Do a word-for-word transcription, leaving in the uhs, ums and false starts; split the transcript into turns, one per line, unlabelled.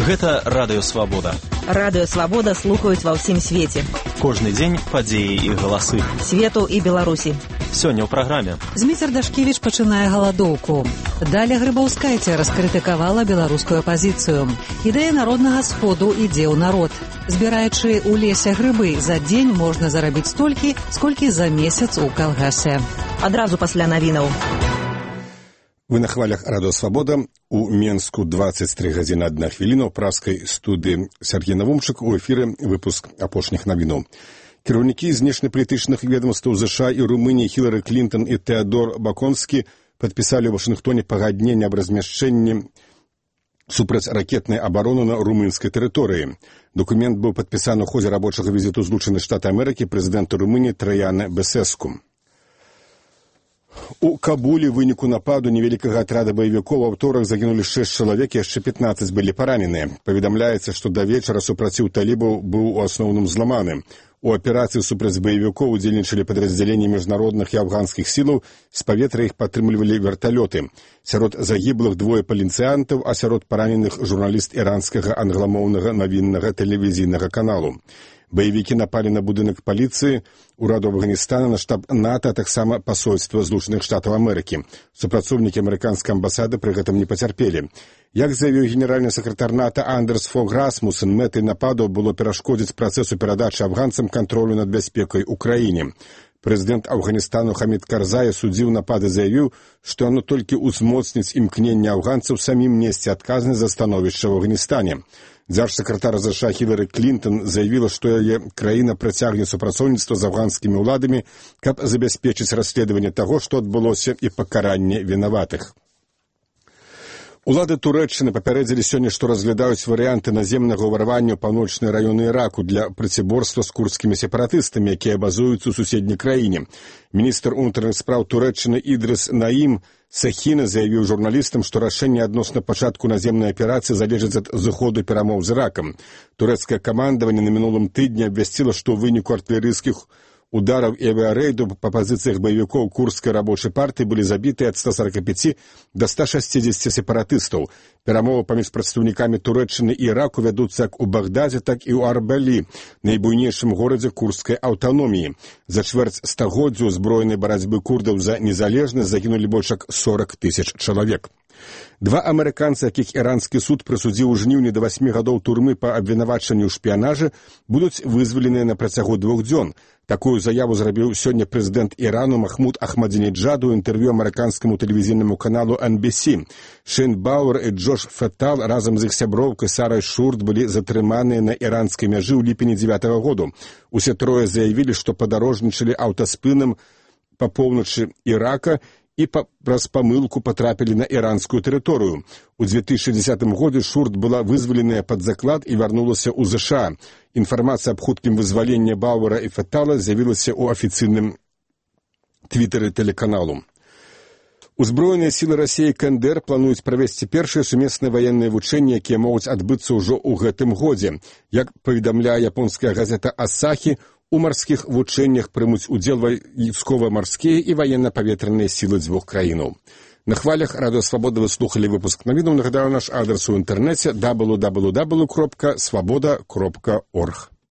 Гэта Радыё Свабода.
Радыё Свабода слухаюць ва ўсім свеце.
Кожны дзень падзеі і галасы.
Свету і Беларусі.
Сёння ў праграме.
Зміцер Дашкевіч пачынае галадоўку. Даля Грыбаўскайця раскрытыкавала беларускую апазіцыю. Ідэя народнага сходу ідзе ў народ. Збіраючы ў лесе грыбы, за дзень можна зарабіць столькі, сколькі за месяц у калгасе.
Адразу пасля навінаў.
Вы на хвалях Радыё Свабода. У Менску двадцать три гадзіны адна хвіліна ў праскай студыі Сергей Навумчык. У эфіры выпуск апошніх навінаў. Кіраўнікі знешнепалітычных ведомстваў ЗША і Румыніі Хілары Клінтон і Тэадор Баконскі падпісалі ў Вашынгтоне пагадненне аб размяшчэнні супрацьракетнай абароны на румынскай тэрыторыі. Документ быў падпісаны ў ходзе рабочага візіту Злучаных Штатаў Амерыкі прэзідэнта Румыніі Траяна Бесеску. У Кабулі ў выніку нападу невялікага атрада баевікоў у аўторак загінулі шэсць чалавек, яшчэ пятнаццаць былі параненыя. Паведамляецца, што да вечара супраціў талібаў быў у асноўным зламаны. У аперацыі супраць баевікоў удзельнічалі падраздзяленні міжнародных і афганскіх сілаў, з паветра іх падтрымлівалі верталёты. Сярод загіблых двое паліцыянтаў, а сярод параненых журналіст іранскага англамоўнага навіннага тэлевізійнага каналу. Баевікі напалі на будынак паліцыі, ураду Афганістана, на штаб НАТО, а таксама пасольства Злучаных Штатаў Амерыкі. Супрацоўнікі амерыканскай амбасады пры гэтым не пацярпелі. Як заявіў генеральны сакратар НАТО Андерс Фог Расмуссен, мэтай нападу было перашкодзіць працэсу перадачы афганцам кантролю над бяспекай у краіне. Прэзідэнт Афганістану Хамід Карзай судзіў напады, заявіў, што оно толькі ўзмоцніць імкненне афганцаў самім несці адказнасць за становішча ў Афганістане. Дзяржсакратар ЗША Хілары Клінтон заявіла, што яе краіна працягне супрацоўніцтва з афганскімі ўладамі, каб забяспечыць расследаванне таго, што адбылося, і пакаранне вінаватых. Улады Турэччыны папярэдзілі сёння, што разглядаюць варыянты наземнага ўварвання ў паўночныя раёны Іраку для проціборства з курдскімі сепаратыстамі, якія базуюцца ў суседняй краіне. Міністр унутраных спраў Турэччыны Ідрыс Наім Сахіна заявіў журналістам, што рашэнне адносна пачатку наземнай аперацыі залежыць ад зыходу перамоў з Іракам. Турэцкае камандаванне на мінулым тыдні абвясціла, што ў выніку артылерыйскіх удараў і авіярэйду па пазіцыях баевікоў курдскай рабочай партыі былі забітыя ад ста сорока пяти да ста шасцідзесяці сепаратыстаў. Перамовы паміж прадстаўнікамі Турэччыны і Іраку вядуцца як у Багдазе, так і ў Арбалі, найбуйнейшым горадзе курдскай аўтаноміі. За чвэрць стагоддзя ўзброенай барацьбы курдаў за незалежнасць загінулі больш як сорок тысяч чалавек. Два амерыканцы, якіх іранскі суд прысудзіў у жніўні да васьмі гадоў турмы па абвінавачанню ў шпіянажы, будуць вызваленыя на працягу двух дзён. Такую заяву зрабіў сёння прэзідэнт Ірану Махмуд Ахмадзінеджаду ў інтэрв'ю амерыканскаму тэлевізійнаму каналу эн би си. Шейн Бауэр і Джош Феттал разам з іх сяброўкай Сарай Шурт былі затрыманыя на іранскай мяжы ў ліпені дзевятага году. Усе трое заявілі, што падарожнічалі аўтаспынам па поўначы Ірака і па, праз памылку патрапілі на іранскую тэрыторыю. У дзве тысячы дзесятым годзе Шурт была вызваленая пад заклад і вярнулася ў ЗША. Інфармацыя аб хуткім вызваленні Бауэра і Феттала з'явілася ў афіцыйным твітары тэлеканалу. Узброеныя сілы Расіі і КНДР плануюць правесці першыя сумесныя ваенныя вучэнні, якія могуць адбыцца ўжо ў гэтым годзе. Як паведамляе японская газета «Асахі», у марскіх вучэннях прымуць удзел вайсково-марскія і ваенна-паветраныя сілы дзвюх краінаў. На хвалях Радыё Свабода вы слухалі выпуск навінаў. Нагадаю, наш адрес у інтэрнэце дабл ю дабл ю дабл ю крапка свабода крапка орг.